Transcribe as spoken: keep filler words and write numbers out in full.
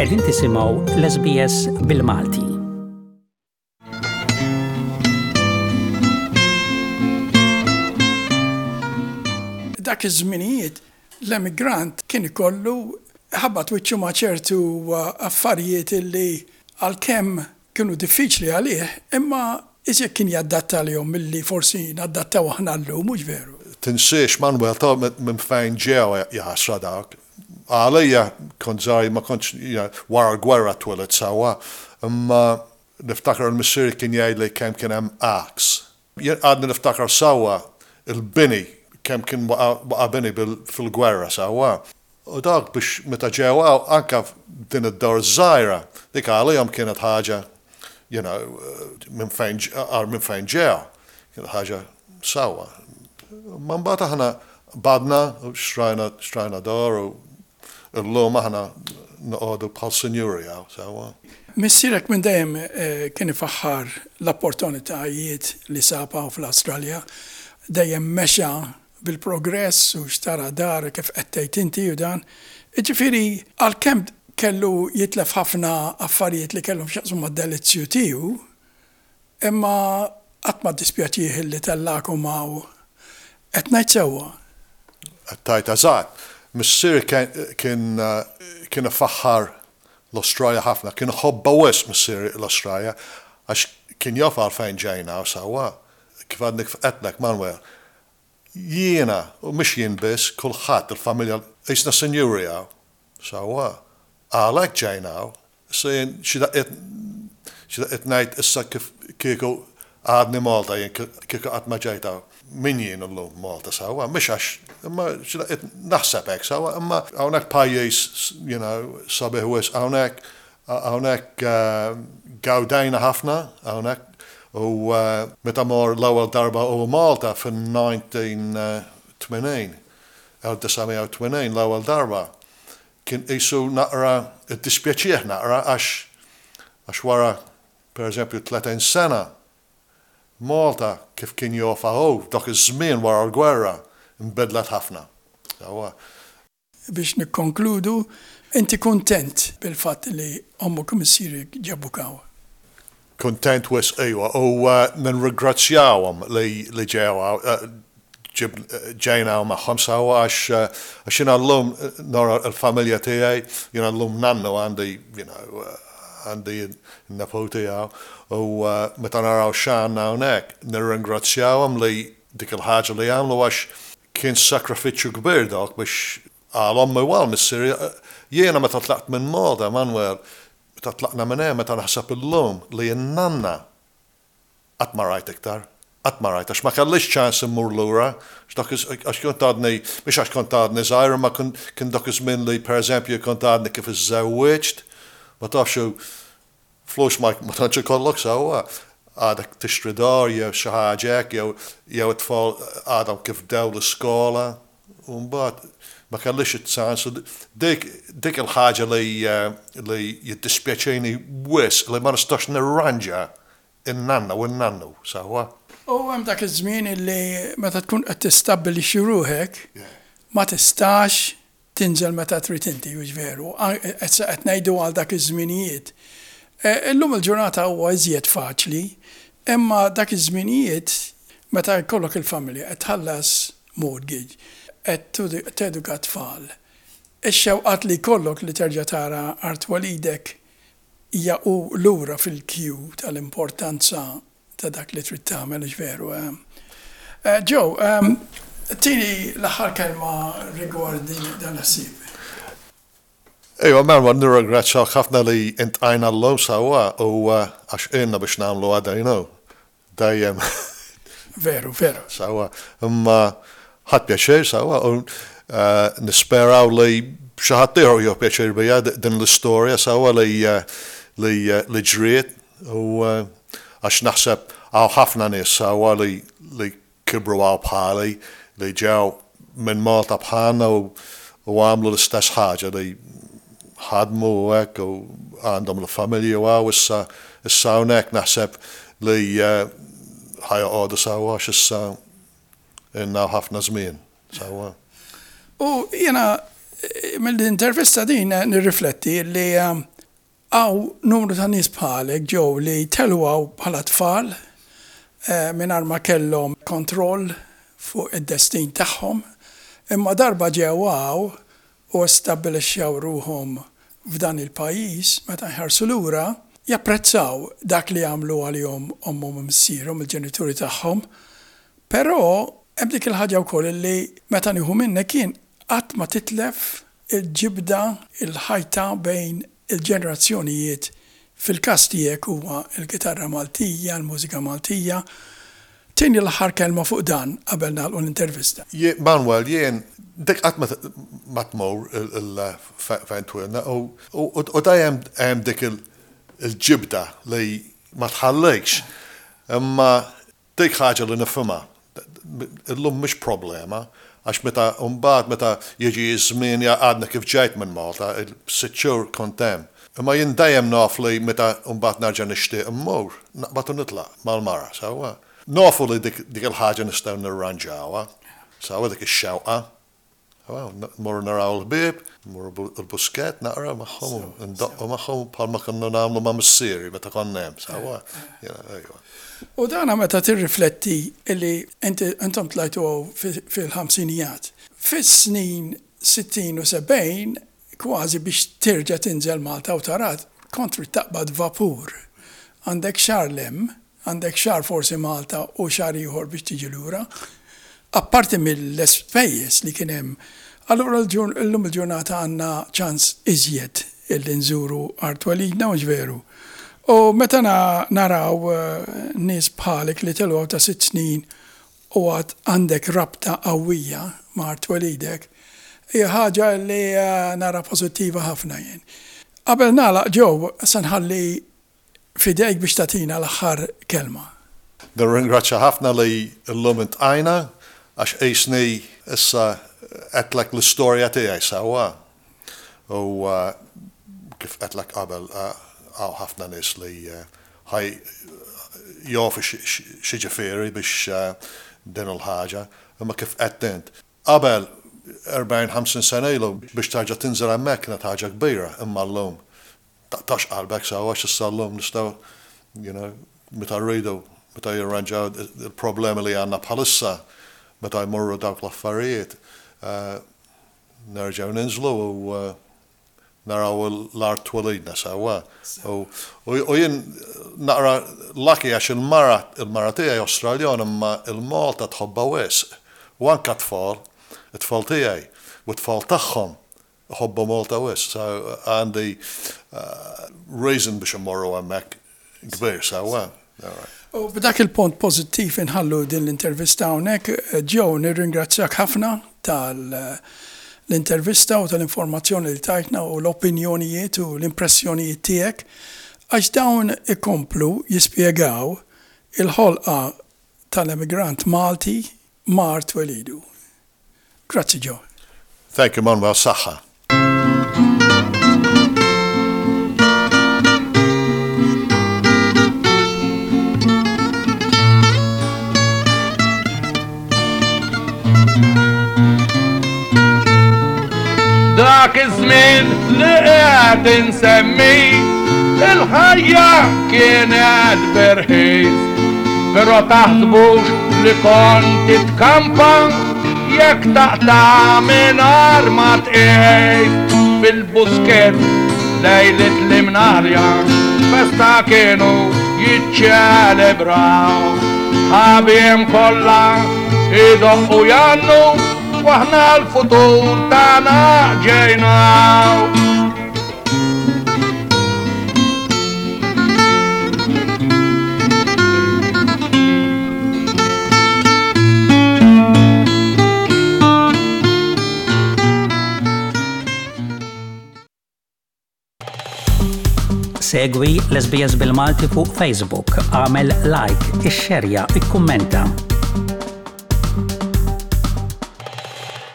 Qegħdin tisimgħu l-S B S bil-Malti. Dak iż-żminijiet l-emigrant kien ikollu ħabbat wiċċu ma' ċertu affarijiet illi għalkemm kienu diffiċli għalih, imma iżjed kien jaddatta lihom milli forsi naddattaw aħna llum, mhux veru? Tinsiex, Manuel, ta' minn fejn ġew, jaħasra dak. Għalija kont żgħir, ma kontx, wara l-gwerra twelidt, sewwa, imma niftakar il-missier kien jgħidli kemm kien hemm għaks. Jien għadni niftakar sewwa il-bini, kemm kien waqa' bini fil-gwerra, sewwa. U dak biex meta ġew anka din id-dar żgħira, dik għalihom kienet ħaġa, you know, minn fejn minn fejn ġew, kienet ħaġa sewwa. Ma mbagħad aħna badna u xtrajna xtrajna dar u llum aħna noqogħdu bħal sinjuri hawn, sewwa. Missierek minn dejjem eh, kien ifaħħar l-opportunitajiet li sab hawn fl-Awstralja, dejjem mexa bil-progress u xtara dar kif qed tgħid inti u dan. Ġifieri għalkemm kellu jitlef ħafna affarijiet li kellhom x'jaqsmu mad-delizzju tiegħu, imma qatt ma dispjaċih li tellagħkom hawn. Qed ngħid sewwa? Qed tgħid eżatt. Missier kien kien ifaħħar l-Australia ħafna, kien ħobbha wisq missier l-Australia, għax kien jaf għalfejn ġejna, sewwa. Kif għadni għedtlek, Manuel, jiena, u mhux jien biss, kulħadd, il-familja, qisna sinjuri hawn, sewwa. Għalhekk ġejna hawn. Issa jien xi daqqiet xi daqqiet ngħid issa kif kieku għadni Malta jien, kieku qatt ma ġejt hawn. Min jien illum Malta, sewwa? Mhux għax, imma xi daqqiet naħseb hekk, sewwa, imma hawnhekk pajjiż, you know, sabiħ wisq hawnhekk, hawnhekk gawdejna ħafna hawnhekk u meta mor l-ewwel darba u Malta fin-elf disa' mija u tmenin, elf disa' mija u tmenin l-ewwel darba, kien qisu naqra, iddispjaċih naqra għax għax wara, per eżempju, tletin sena, Malta kif kien jafha hu dak iż-żmien wara l-gwerra nbidlet ħafna. Sewwa. Biex nikkonkludu, inti kontent bil-fatt li ommok u missierek ġabuk hawn? Kontent wisq, ejwa, u nirringrazzjawhom li li ġew ġejna magħhom, sewwa, għax għax jiena llum nara l-familja tiegħi, jiena llum nannu għandi, you know, għandi n-nepoti u meta naraw x'għandna hawnhekk, nirringrazzjawhom li dik il-ħaġa li għamlu, għax kien sakrifiċċju kbir dak biex għal ommi u għal missieri. Jiena meta tlaqt minn Malta, Manuel, meta tlaqna minn hemm, meta naħseb illum li n-nanna qatt ma rajt iktar, qatt ma rajt, għax ma kellix ċans immur lura, għax kont għadni, mhux għax kont għadni żgħir, ma kien dak iż-żmien li pereżempju kont għadni kif iżżewwiġt, ma tafx flus ma tantx ikollok, sewwa, għadek tixtri dar jew xi ħaġa hekk, jew jew it-tfal għadhom kif bdew l-iskola, u mbagħad ma kellix iċ-ċans. Dik dik il-ħaġa li li jiddispjaċini wisq li ma nistax nirranġa in-nanna u n-nannu, sewwa. U hemm dak iż-żmien illi meta tkun qed tistabbilixxi ruħek ma tistax tinżel meta trid inti, hux veru? Qed ngħidu għal dak iż-żminijiet. Illum il-ġurnata huwa iżjed faċli, imma dak iż-żminijiet meta jkollok il-familja, qed tħallas mortgage, qed teduka tfal. Ix-xewqat li jkollok li terġa' tara art twelidek hija u lura fil-queue tal-importanza ta' dak li trid tagħmel, veru? Joe, tini l-aħħar kelma rigward dan l-ħsieb. Ejwa, Manuel, nirringrazzjak ħafna li iltqajna llum, sewwa, u għax ilna biex nagħmlu għadajnu. Dejjem. Veru, veru. Sewwa, imma ħadt pjaċir, sewwa, u nisperaw li xi ħadd ieħor jieħu pjaċir bija din l-istorja, sewwa, li li li ġriet u għax naħseb hawn ħafna nies, sewwa, li li kibru hawn bħali, li ġew minn Malta bħalna u u għamlu l-istess ħaġa, li ħadmu u hekk u għandhom l-familji u hawn issa issa hawnhekk naħseb li ħa joqogħdu, sewwa, għax issa ilna ħafna żmien, sewwa. U jiena Mill-intervista din nirrifletti li hawn numru ta' nies bħalek ġew li telgħu bħala tfal mingħajr ma kellhom kontroll fuq id-destin tagħhom, imma darba ġew hawn u stabbilixxew ruħhom f'dan il-pajjiż, meta jħarsu lura, japprezzaw dak li għamlu għalihom ommhom u missierhom, il-ġenituri tagħhom, però hemm dik il-ħaġa wkoll li meta nieħu minnek kien qatt ma titlef il-ġibda, il-ħajta bejn il-ġenerazzjonijiet. Fil-każ tiegħek huwa l-kitarra Maltija, l-mużika Maltija. Tini l-aħħar kelma fuq dan qabel nagħlqu l-intervista. Manuel, jien dik qatt ma tmur fejn twilna u dejjem hemm dik il-ġibda li ma tħallikx. Imma dik ħaġa li nifhimha. Illum mhix problema, għax meta mbagħad meta jiġi ż-żmien għadna kif ġejt minn Malta, sitt xhur kont hemm. Imma jien dejjem naf li meta mbagħad nerġa' nixtieq immur, naqbad u nitlaq mal-mara, sewwa. Nafu li dik il-ħaġa nistgħu nirranġawha, sewwa dik ix-xewqa. Mmorru naraw il-ħbieb, mmorru l-Buskett naqra magħhom, ndoqqu magħhom bħalma konna nagħmlu ma' missieri meta konna hemm, sewwa. U dana meta tirrifletti li intom tlajtu fil-ħamsinijat. Fis-snin sittin u sebgħin kważi biex terġa' tinżel Malta u tarat kont trid taqbad vapur. Għandek xahar lem, għandek xahar forsi Malta u xahar ieħor biex tiġi lura. Apparti mill-ispejjeż li kien hemm, allura llum il-ġurnata għandna ċans iżjed illi nżuru art twelidna, mhux veru. U meta naraw nies bħalek li telgħu ta' sitt snin u għad għandek rabta qawwija ma' art twelidek, hija ħaġa li nara pożittiva ħafna jien. Qabel nagħlaq Joe, se nħalli fidejk biex tagħtina l-aħħar kelma. Nirringrazzja ħafna li llum intqajna għax qisni issa qedlek l-istorja tiegħi sewwa. U kif qedlek qabel hawn ħafna nies li ħaj jafu x'jiġifieri biex din il-ħaġa, imma kif qed int. Qabel erbgħin ħamsin sena ilu biex tarġa' tinżel hemmhekk kienet ħaġa kbira, imma llum taqtax qalbek sewwa għax issa llum nistgħu, you know, meta rridu, meta jirranġaw il-problemi li għandna bħalissa, meta jmorru dawk l-affarijiet, nerġgħu ninżlu u naraw l-art twelidna sewwa. U jien naqra lucky għax il-mara, il-mara tiegħi Awstraljan imma il-Malta tħobbha wisq. U anke tfal, it-tfal tiegħi u t-tfal tagħhom iħobbu Malta wisq. So għandi reason biex immorru hemmhekk kbir sewwa. U b'dak il-punt pożittiv inħallu din l-intervista hawnhekk. Joe, nirringrazzjak ħafna tal l-intervista u tal-informazzjoni li tajtna u l-opinjonijiet u l-impressjonijiet tiegħek, għax dawn ikomplu jispjegaw il-ħolqa tal-emigrant Malti mar twelidu. Grazzi Joe. Thank you, Manuel. Saħħa. Dak iż-żmien li qed insemmi, il-ħajja kienet berħis, però taħsbux li kont titkampa jekk taqta' mingħajr ma tqis. Fil-Buskett lejlet l-imnarja festa kienu jiċċelebraw, ħabiem kollha idoqqu jannu waħna l-futur tagħna ġejnaw. Segwi l-S B S bil-Malti fuq Facebook, għamel like, ixxerja, ikkummenta.